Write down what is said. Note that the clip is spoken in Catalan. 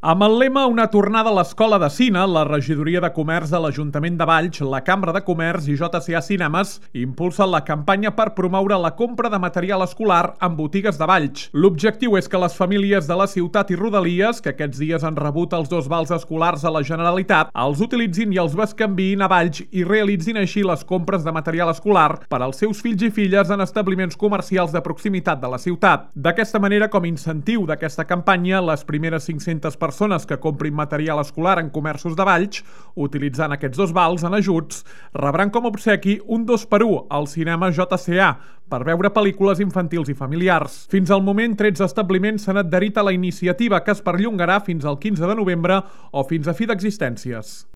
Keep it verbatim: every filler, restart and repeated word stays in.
Amb el lema Una tornada a l'escola de cine, la Regidoria de Comerç de l'Ajuntament de Valls, la Cambra de Comerç i J C A Cinemes impulsen la campanya per promoure la compra de material escolar en botigues de Valls. L'objectiu és que les famílies de la ciutat i rodalies, que aquests dies han rebut els dos vals escolars a la Generalitat, els utilitzin i els bescanviïn a Valls i realitzin així les compres de material escolar per als seus fills i filles en establiments comercials de proximitat de la ciutat. D'aquesta manera, com a incentiu d'aquesta campanya, les primeres cinc-centes persones persones que comprin material escolar en comerços de Valls, utilitzant aquests dos vals en ajuts, rebran com a obsequi un dos per u al cinema J C A per veure pel·lícules infantils i familiars. Fins al moment, tretze establiments s'han adherit a la iniciativa, que es perllongarà fins al quinze de novembre o fins a fi d'existències.